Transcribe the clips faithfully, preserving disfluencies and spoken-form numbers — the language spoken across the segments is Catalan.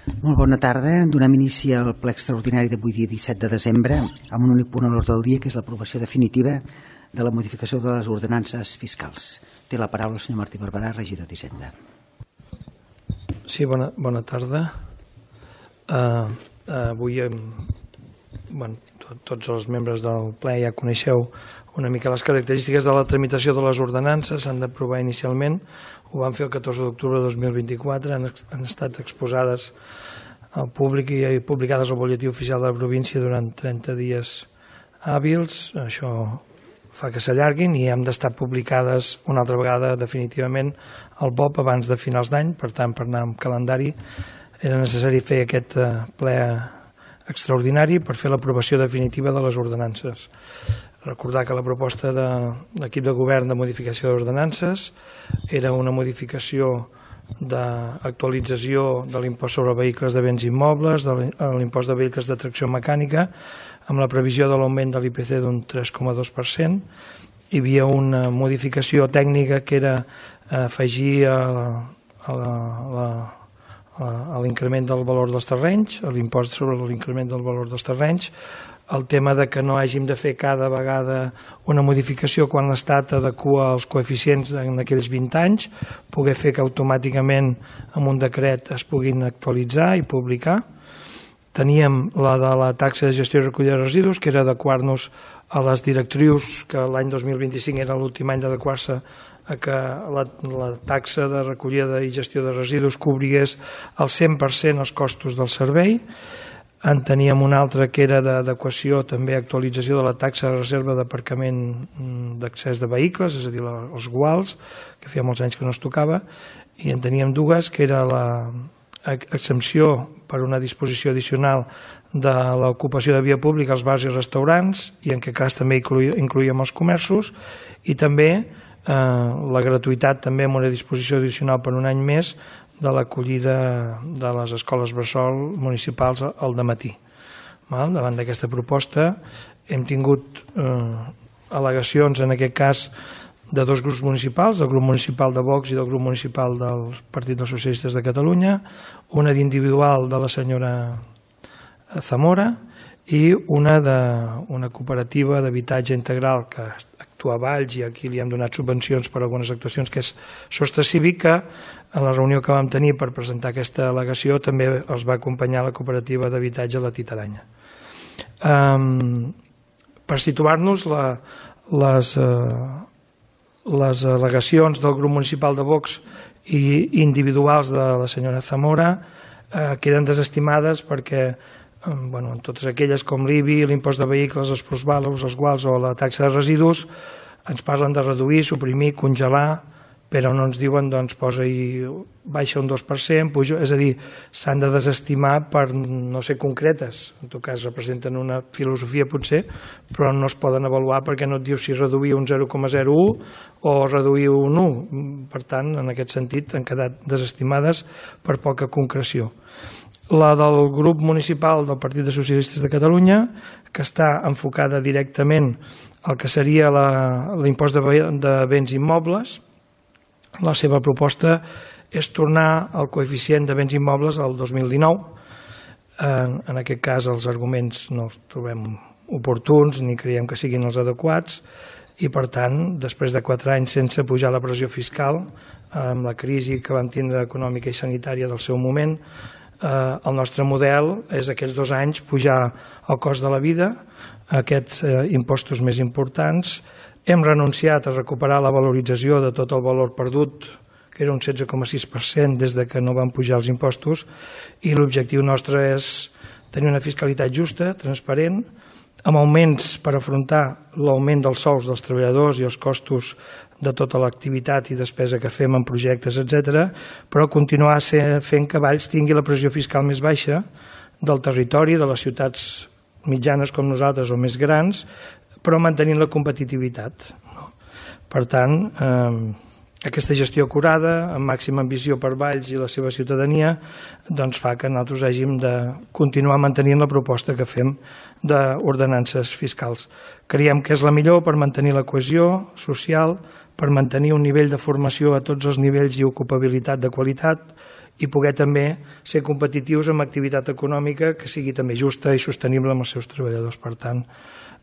Molt bona tarda. Donem inici al ple extraordinari d'avui dia disset de desembre amb un únic punt a l'ordre del dia, que és l'aprovació definitiva de la modificació de les ordenances fiscals. Té la paraula el senyor Martí Barberà, regidor d'Hisenda. Sí, bona, bona tarda. Uh, uh, avui, um, bueno, to, tots els membres del ple ja coneixeu una mica les característiques de la tramitació de les ordenances. S'han d'aprovar inicialment, ho vam fer el catorze d'octubre de dos mil vint-i-quatre, han, han estat exposades al públic i publicades al butlletí oficial de la província durant trenta dies hàbils. Això fa que s'allarguin i han d'estar publicades una altra vegada definitivament al B O P abans de finals d'any. Per tant, per anar amb calendari era necessari fer aquest ple extraordinari per fer l'aprovació definitiva de les ordenances. Recordar que la proposta de l'equip de govern de modificació d'ordenances era una modificació d'actualització de l'impost sobre vehicles de béns immobles, de l'impost de vehicles de tracció mecànica, amb la previsió de l'augment de l'I P C d'un tres coma dos per cent. Hi havia una modificació tècnica que era afegir a, a, a, a l'increment del valor dels terrenys, a l'impost sobre l'increment del valor dels terrenys, el tema de que no hàgim de fer cada vegada una modificació quan l'Estat adequa els coeficients en aquells vint anys, poder fer que automàticament amb un decret es puguin actualitzar i publicar. Teníem la de la taxa de gestió i recollida de residus, que era adequar-nos a les directrius, que l'any dos mil vint-i-cinc era l'últim any d'adequar-se a que la, la taxa de recollida i gestió de residus cobrigués al cent per cent els costos del servei. En teníem una altra que era d'adequació, també actualització de la taxa de reserva d'aparcament d'accés de vehicles, és a dir, els guals, que feia molts anys que no es tocava, i en teníem dues, que era l'exempció per una disposició addicional de l'ocupació de via pública als bars i restaurants, i en aquest cas també incloïem els comerços, i també eh, la gratuïtat també amb una disposició addicional per un any més de l'acollida de les escoles bressol municipals al dematí. Davant d'aquesta proposta hem tingut eh, al·legacions, en aquest cas, de dos grups municipals, del grup municipal de Vox i del grup municipal del Partit dels Socialistes de Catalunya, una d'individual de la senyora Zamora i una d'una cooperativa d'habitatge integral que actua a Valls, i aquí li hem donat subvencions per algunes actuacions, que és Sostre Cívic, que a la reunió que vam tenir per presentar aquesta al·legació també els va acompanyar la cooperativa d'habitatge La Titaranya. Um, per situar-nos, la, les, uh, les al·legacions del grup municipal de Vox i individuals de la senyora Zamora uh, queden desestimades perquè Bueno, en totes aquelles com l'I B I, l'impost de vehicles, els plusvalos, els guals o la taxa de residus, ens parlen de reduir, suprimir, congelar, però no ens diuen, doncs, posa-hi, baixa un dos per cent, puja, és a dir, s'han de desestimar per no ser concretes. En tot cas, representen una filosofia, potser, però no es poden avaluar perquè no et diu si reduir un zero coma zero u o reduir un u. Per tant, en aquest sentit, han quedat desestimades per poca concreció. La del grup municipal del Partit dels Socialistes de Catalunya, que està enfocada directament al que seria l'impost de, de béns immobles. La seva proposta és tornar al coeficient de béns immobles al dos mil dinou. En, en aquest cas els arguments no els trobem oportuns ni creiem que siguin els adequats i, per tant, després de quatre anys sense pujar la pressió fiscal, amb la crisi que vam tindre econòmica i sanitària del seu moment, Eh, el nostre model és aquests dos anys pujar el cost de la vida, aquests eh, impostos més importants. Hem renunciat a recuperar la valorització de tot el valor perdut, que era un setze coma sis per cent des de que no van pujar els impostos, i l'objectiu nostre és tenir una fiscalitat justa, transparent, amb augments per afrontar l'augment dels sous dels treballadors i els costos de tota l'activitat i despesa que fem en projectes, etcètera, però continuar fent que Valls tingui la pressió fiscal més baixa del territori, de les ciutats mitjanes com nosaltres o més grans, però mantenint la competitivitat. Per tant, eh, aquesta gestió acurada, amb màxima ambició per Valls i la seva ciutadania, doncs fa que nosaltres hàgim de continuar mantenint la proposta que fem d'ordenances fiscals. Creiem que és la millor per mantenir la cohesió social, per mantenir un nivell de formació a tots els nivells i ocupabilitat de qualitat i poder també ser competitius amb activitat econòmica que sigui també justa i sostenible amb els seus treballadors. Per tant,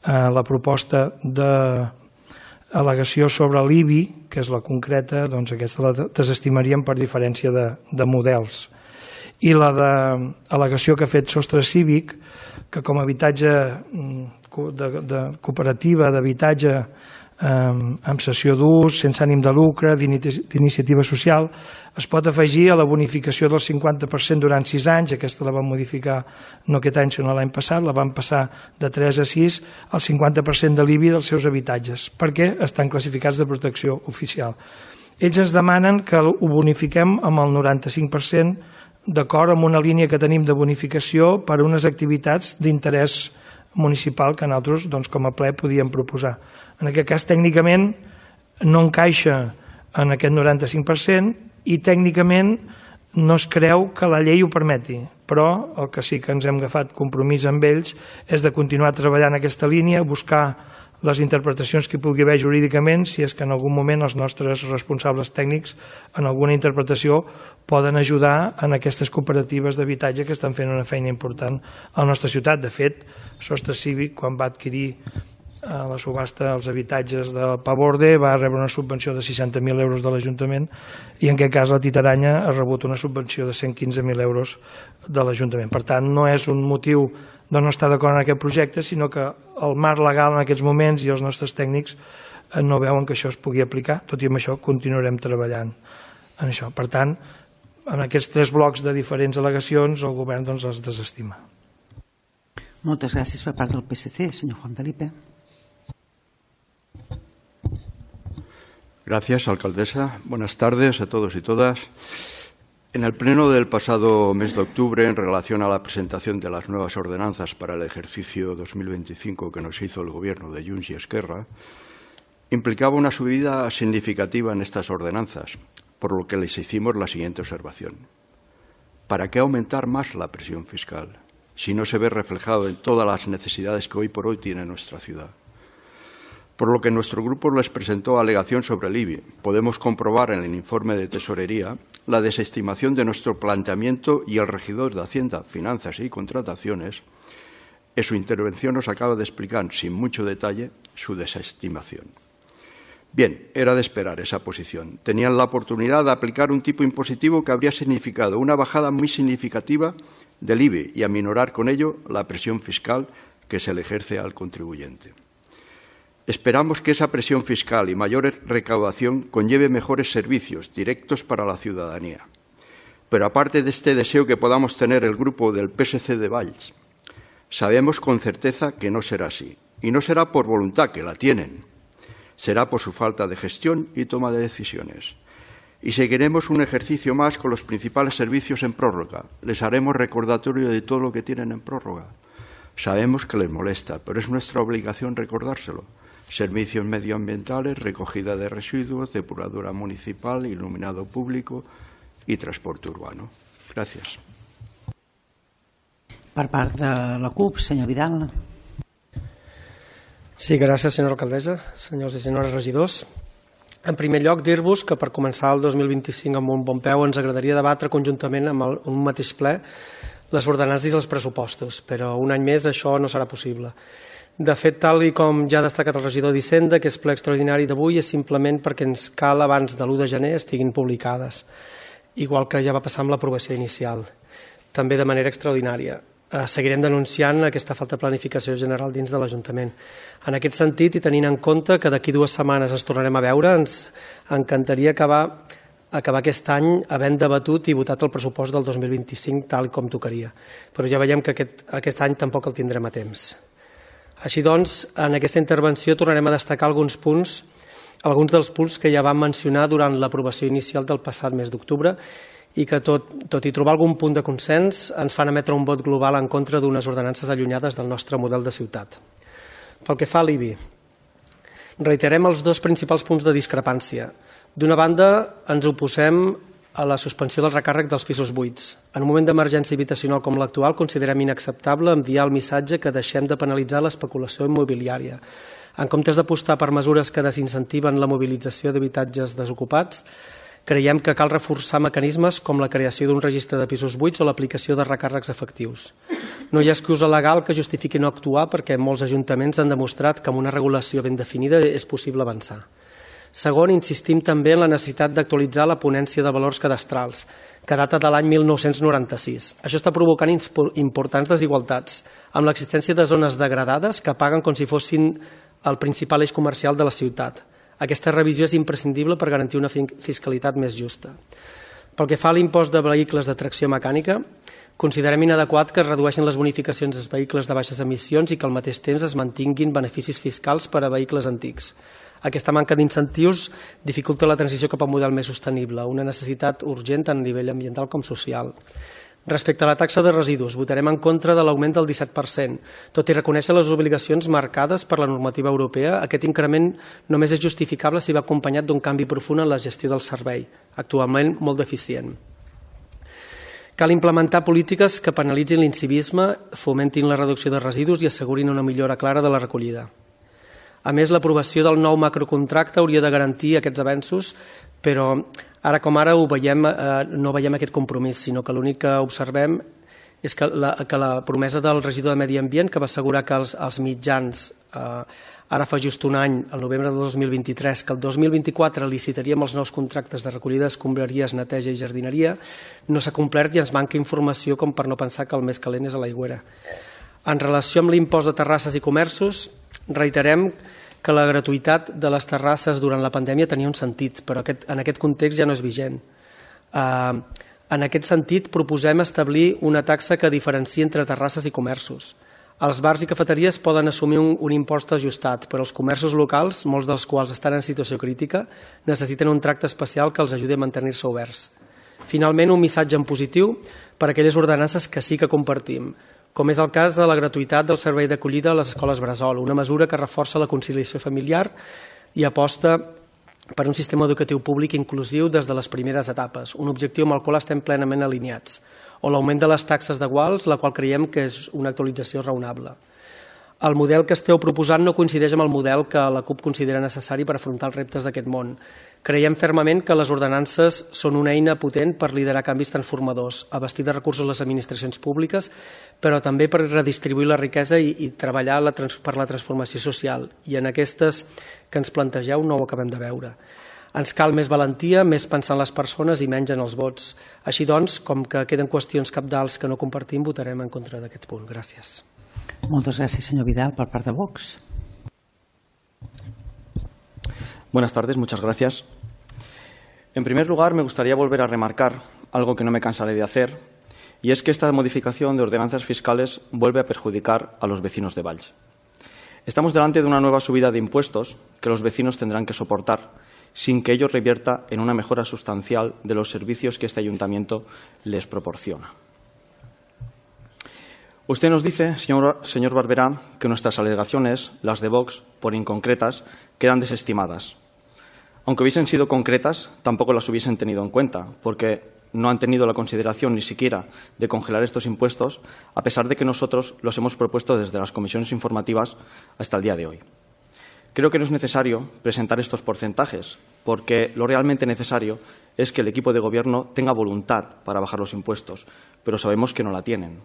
la proposta d'al·legació sobre l'I B I, que és la concreta, doncs aquesta la desestimaríem per diferència de, de models. I la d'al·legació que ha fet Sostre Cívic, que com a habitatge de, de cooperativa d'habitatge amb cessió d'ús, sense ànim de lucre, d'iniciativa social, es pot afegir a la bonificació del cinquanta per cent durant sis anys. Aquesta la vam modificar no aquest any sinó l'any passat, la vam passar de tres a sis al cinquanta per cent de l'I B I dels seus habitatges, perquè estan classificats de protecció oficial. Ells ens demanen que ho bonifiquem amb el noranta-cinc per cent d'acord amb una línia que tenim de bonificació per a unes activitats d'interès municipal que nosaltres doncs, com a ple podíem proposar. En aquest cas tècnicament no encaixa en aquest noranta-cinc per cent i tècnicament no es creu que la llei ho permeti, però el que sí que ens hem agafat compromís amb ells és de continuar treballant en aquesta línia, buscar les interpretacions que hi pugui haver jurídicament, si és que en algun moment els nostres responsables tècnics en alguna interpretació poden ajudar en aquestes cooperatives d'habitatge que estan fent una feina important a la nostra ciutat. De fet, Sostre Cívic, quan va adquirir a la subhasta els habitatges de Paborde, va rebre una subvenció de seixanta mil euros de l'Ajuntament i en aquest cas la Titaranya ha rebut una subvenció de cent quinze mil euros de l'Ajuntament. Per tant, no és un motiu de no estar d'acord en aquest projecte, sinó que el marc legal en aquests moments i els nostres tècnics no veuen que això es pugui aplicar, tot i amb això continuarem treballant en això. Per tant, en aquests tres blocs de diferents al·legacions el govern doncs, els desestima. Moltes gràcies per part del P S C, senyor Juan Felipe. Gracias, alcaldesa. Buenas tardes a todos y todas. En el pleno del pasado mes de octubre, en relación a la presentación de las nuevas ordenanzas para el ejercicio dos mil veinticinco que nos hizo el Gobierno de Junts y Esquerra, implicaba una subida significativa en estas ordenanzas, por lo que les hicimos la siguiente observación. ¿Para qué aumentar más la presión fiscal si no se ve reflejado en todas las necesidades que hoy por hoy tiene nuestra ciudad? Por lo que nuestro grupo les presentó alegación sobre el I B I. Podemos comprobar en el informe de Tesorería la desestimación de nuestro planteamiento y el regidor de Hacienda, Finanzas y Contrataciones en su intervención nos acaba de explicar sin mucho detalle su desestimación. Bien, era de esperar esa posición. Tenían la oportunidad de aplicar un tipo impositivo que habría significado una bajada muy significativa del I B I y aminorar con ello la presión fiscal que se le ejerce al contribuyente. Esperamos que esa presión fiscal y mayor recaudación conlleve mejores servicios directos para la ciudadanía. Pero aparte de este deseo que podamos tener el grupo del P S C de Valls, sabemos con certeza que no será así. Y no será por voluntad, que la tienen. Será por su falta de gestión y toma de decisiones. Y seguiremos un ejercicio más con los principales servicios en prórroga. Les haremos recordatorio de todo lo que tienen en prórroga. Sabemos que les molesta, pero es nuestra obligación recordárselo. Servicios medioambientales, recogida de residuos, depuradora municipal, iluminado público y transporte urbano. Gràcies. Per part de la CUP, senyor Vidal. Sí, gràcies, senyora alcaldessa, senyors i senyores regidors. En primer lloc, dir-vos que per començar el dos mil vint-i-cinc amb un bon peu ens agradaria debatre conjuntament amb el, un mateix ple les ordenances i els pressupostos, però un any més això no serà possible. De fet, tal i com ja ha destacat el regidor d'Hisenda, que és ple extraordinari d'avui és simplement perquè ens cal abans de l'u de gener estiguin publicades, igual que ja va passar amb l'aprovació inicial, també de manera extraordinària. Seguirem denunciant aquesta falta de planificació general dins de l'Ajuntament. En aquest sentit, i tenint en compte que d'aquí dues setmanes ens tornarem a veure, ens encantaria acabar, acabar aquest any havent debatut i votat el pressupost del dos mil vint-i-cinc tal com tocaria. Però ja veiem que aquest, aquest any tampoc el tindrem a temps. Així doncs, en aquesta intervenció tornarem a destacar alguns punts, alguns dels punts que ja vam mencionar durant l'aprovació inicial del passat mes d'octubre i que, tot, tot i trobar algun punt de consens, ens fan emetre un vot global en contra d'unes ordenances allunyades del nostre model de ciutat. Pel que fa a l'I B I, reiterem els dos principals punts de discrepància. D'una banda, ens oposem a la suspensió del recàrrec dels pisos buits. En un moment d'emergència habitacional com l'actual, considerem inacceptable enviar el missatge que deixem de penalitzar l'especulació immobiliària. En comptes d'apostar per mesures que desincentiven la mobilització d'habitatges desocupats, Creiem que cal reforçar mecanismes com la creació d'un registre de pisos buits o l'aplicació de recàrrecs efectius. No hi ha excusa legal que justifiqui no actuar perquè molts ajuntaments han demostrat que amb una regulació ben definida és possible avançar. Segon, insistim també en la necessitat d'actualitzar la ponència de valors cadastrals, que data de l'any mil nou-cents noranta-sis. Això està provocant importants desigualtats, amb l'existència de zones degradades que paguen com si fossin el principal eix comercial de la ciutat. Aquesta revisió és imprescindible per garantir una fiscalitat més justa. Pel que fa a l'impost de vehicles de tracció mecànica, considerem inadequat que es redueixin les bonificacions dels vehicles de baixes emissions i que al mateix temps es mantinguin beneficis fiscals per a vehicles antics. Aquesta manca d'incentius dificulta la transició cap a un model més sostenible, una necessitat urgent tant a nivell ambiental com social. Respecte a la taxa de residus, votarem en contra de l'augment del disset per cent. Tot i reconèixer les obligacions marcades per la normativa europea, aquest increment només és justificable si va acompanyat d'un canvi profund en la gestió del servei, actualment molt deficient. Cal implementar polítiques que penalitzin l'incivisme, fomentin la reducció de residus i assegurin una millora clara de la recollida. A més, l'aprovació del nou macrocontracte hauria de garantir aquests avenços, però ara com ara ho veiem, eh, no veiem aquest compromís, sinó que l'únic que observem és que la, que la promesa del regidor de Medi Ambient, que va assegurar que els, els mitjans, eh, ara fa just un any, el novembre del dos mil vint-i-tres, que el dos mil vint-i-quatre licitaríem els nous contractes de recollida d'escombraries, neteja i jardineria, no s'ha complert i ens manca informació com per no pensar que el més calent és a l'aigüera. En relació amb l'impost de terrasses i comerços, reiterem que la gratuïtat de les terrasses durant la pandèmia tenia un sentit, però aquest, en aquest context ja no és vigent. Uh, en aquest sentit, proposem establir una taxa que diferenciï entre terrasses i comerços. Els bars i cafeteries poden assumir un, un impost ajustat, però els comerços locals, molts dels quals estan en situació crítica, necessiten un tracte especial que els ajudi a mantenir-se oberts. Finalment, un missatge en positiu per a aquelles ordenances que sí que compartim, com és el cas de la gratuïtat del servei d'acollida a les escoles bressol, una mesura que reforça la conciliació familiar i aposta per un sistema educatiu públic inclusiu des de les primeres etapes, un objectiu amb el qual estem plenament alineats, o l'augment de les taxes de guals, la qual creiem que és una actualització raonable. El model que esteu proposant no coincideix amb el model que la CUP considera necessari per afrontar els reptes d'aquest món. Creiem fermament que les ordenances són una eina potent per liderar canvis transformadors, abastir de recursos les administracions públiques, però també per redistribuir la riquesa i, i treballar la, per la transformació social. I en aquestes que ens plantegeu no ho acabem de veure. Ens cal més valentia, més pensar en les persones i menys en els vots. Així doncs, com que queden qüestions cabdals que no compartim, votarem en contra d'aquest punt. Gràcies. Moltes gràcies, senyor Vidal, per part de Vox. Buenas tardes, muchas gracias. En primer lugar, me gustaría volver a remarcar algo que no me cansaré de hacer, y es que esta modificación de ordenanzas fiscales vuelve a perjudicar a los vecinos de Valls. Estamos delante de una nueva subida de impuestos que los vecinos tendrán que soportar, sin que ello revierta en una mejora sustancial de los servicios que este ayuntamiento les proporciona. Usted nos dice, señor, señor Barberá, que nuestras alegaciones, las de Vox, por inconcretas, quedan desestimadas. Aunque hubiesen sido concretas, tampoco las hubiesen tenido en cuenta, porque no han tenido la consideración ni siquiera de congelar estos impuestos, a pesar de que nosotros los hemos propuesto desde las comisiones informativas hasta el día de hoy. Creo que no es necesario presentar estos porcentajes, porque lo realmente necesario es que el equipo de gobierno tenga voluntad para bajar los impuestos, pero sabemos que no la tienen.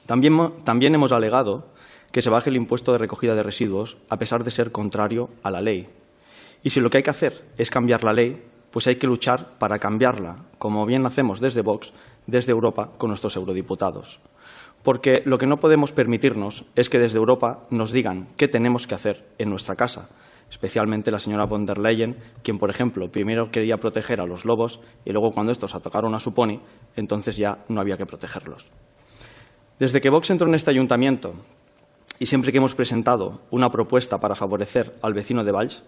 También, también hemos alegado que se baje el impuesto de recogida de residuos, a pesar de ser contrario a la ley. Y si lo que hay que hacer es cambiar la ley, pues hay que luchar para cambiarla, como bien hacemos desde Vox, desde Europa, con nuestros eurodiputados. Porque lo que no podemos permitirnos es que desde Europa nos digan qué tenemos que hacer en nuestra casa, especialmente la señora von der Leyen, quien, por ejemplo, primero quería proteger a los lobos y luego, cuando estos atacaron a su pony, entonces ya no había que protegerlos. Desde que Vox entró en este ayuntamiento y siempre que hemos presentado una propuesta para favorecer al vecino de Valls,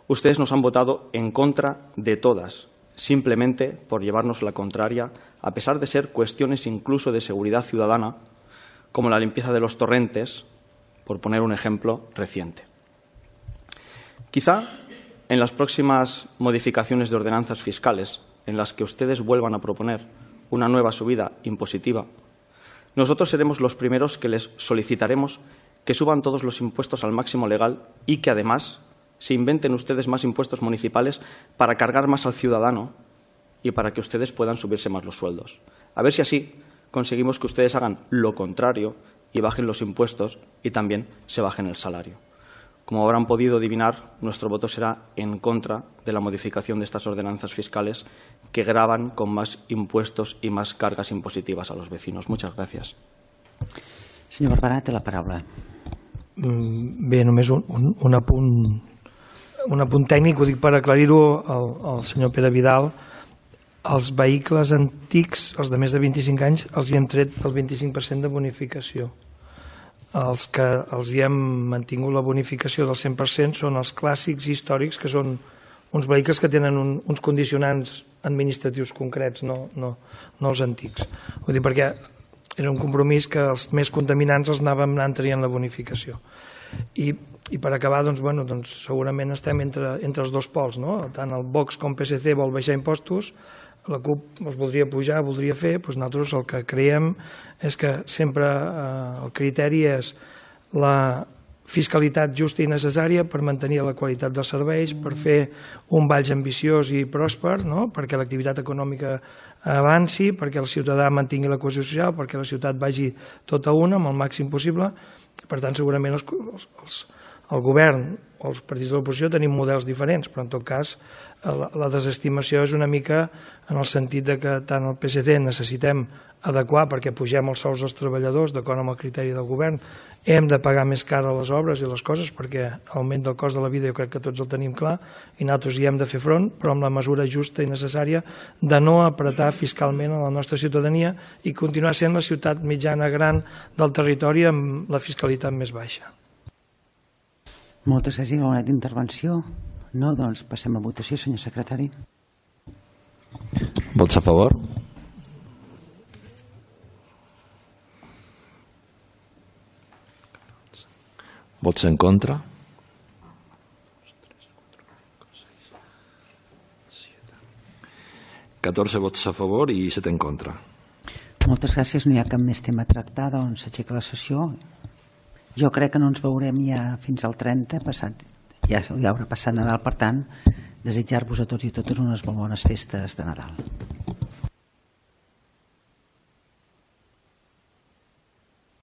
ustedes nos han votado en contra de todas, simplemente por llevarnos la contraria, a pesar de ser cuestiones incluso de seguridad ciudadana, como la limpieza de los torrentes, por poner un ejemplo reciente. Quizá en las próximas modificaciones de ordenanzas fiscales, en las que ustedes vuelvan a proponer una nueva subida impositiva, nosotros seremos los primeros que les solicitaremos que suban todos los impuestos al máximo legal y que, además, se inventen ustedes más impuestos municipales para cargar más al ciudadano y para que ustedes puedan subirse más los sueldos. A ver si así conseguimos que ustedes hagan lo contrario y bajen los impuestos y también se bajen el salario. Como habrán podido adivinar, nuestro voto será en contra de la modificación de estas ordenanzas fiscales que gravan con más impuestos y más cargas impositivas a los vecinos. Muchas gracias. Senyor Barberà, té la paraula. Bé, només un, un, un, apunt, un apunt tècnic, ho dic per aclarir-ho al, al senyor Pere Vidal. Els vehicles antics, els de més de vint-i-cinc anys, els hi hem tret el vint-i-cinc per cent de bonificació. Els que els hi hem mantingut la bonificació del cent per cent són els clàssics i històrics, que són uns vehicles que tenen un, uns condicionants administratius concrets, no, no, no els antics. Vull dir, perquè era un compromís que els més contaminants els anàvem anant traient la bonificació. I, i per acabar, doncs, bueno, doncs, segurament estem entre, entre els dos pols, no? Tant el Vox com P S C vol baixar impostos, la CUP els voldria pujar, voldria fer, doncs nosaltres el que creiem és que sempre eh, el criteri és la fiscalitat justa i necessària per mantenir la qualitat dels serveis, per fer un Valls ambiciós i pròsper, no? Perquè l'activitat econòmica avanci, perquè el ciutadà mantingui la cohesió social, perquè la ciutat vagi tota una amb el màxim possible. Per tant, segurament els, els, el govern o els partits de l'oposició tenim models diferents, però en tot cas la, la desestimació és una mica en el sentit de que tant el P S C necessitem adequar perquè pugem els sous dels treballadors d'acord amb el criteri del govern, hem de pagar més car a les obres i les coses perquè l'augment del cost de la vida jo crec que tots el tenim clar i nosaltres hi hem de fer front, però amb la mesura justa i necessària de no apretar fiscalment a la nostra ciutadania i continuar sent la ciutat mitjana gran del territori amb la fiscalitat més baixa. Moltes gràcies. Alguna intervenció? No? Doncs passem a votació, senyor secretari. Vots a favor? Vots en contra? catorze vots a favor i set en contra. Moltes gràcies. No hi ha cap més tema a tractar, doncs s'aixeca la sessió. Jo crec que no ens veurem ja fins al trenta, passat, ja, ja haurà passat Nadal, per tant, desitjar-vos a tots i totes unes molt bones festes de Nadal.